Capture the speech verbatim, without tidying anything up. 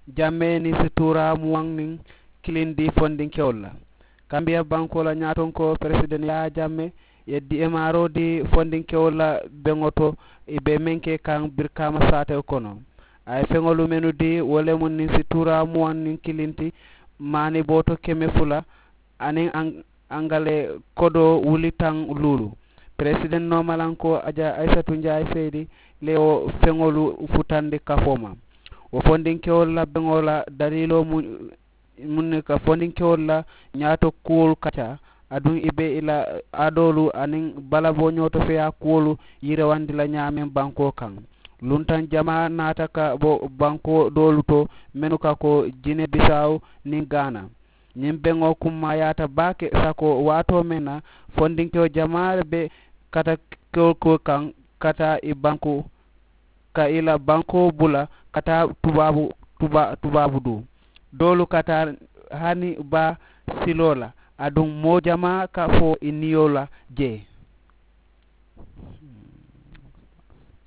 Jammee niŋ si tuuraa muwaŋ niŋ kiliŋ dii fondinkewolu la. Kambiya bankoo la ñaatonkoo peresideŋ yaayaa jammee ye diimaaroo dii fondinkewolu la beŋo to. Ì be meŋ ke kaŋ birikaama saatewo kono a ye feŋolu mennu dii wo le mu niŋ si tuuraa muwaŋ niŋ kiliŋ ti maani booto keme fula aniŋ aŋ aŋ ka le kodoo wuli taŋ luulu. Peresideŋ noomalankoo aja ayisatu njaayi seyidi le wo feŋolu futandi kafoo ma. Wo fondinkewolu la beŋo la daliiloo mu mu ne ka fondinkewolu la ñaato kuwolu kaca aduŋ i be i la aadoolu aniŋ balaboo ñootofeyaa kuwolu yirewandi la ñaameŋ bankoo kaŋ. Luntaŋ jamaa naata ka bo bankoo doolu to mennu ka ko jine bisaawu niŋ gaana. Ñiŋ beŋo kummaayaata baake sako waatoo meŋ na fondinkewo jamaa le be kata kewo ko kaŋ ka taa i banku ka i la bankoo bula ka taa tubaabu tubaabu duu doolu ka taa hani baa siloo la aduŋ moo jamaa ka fo i niyo la jee.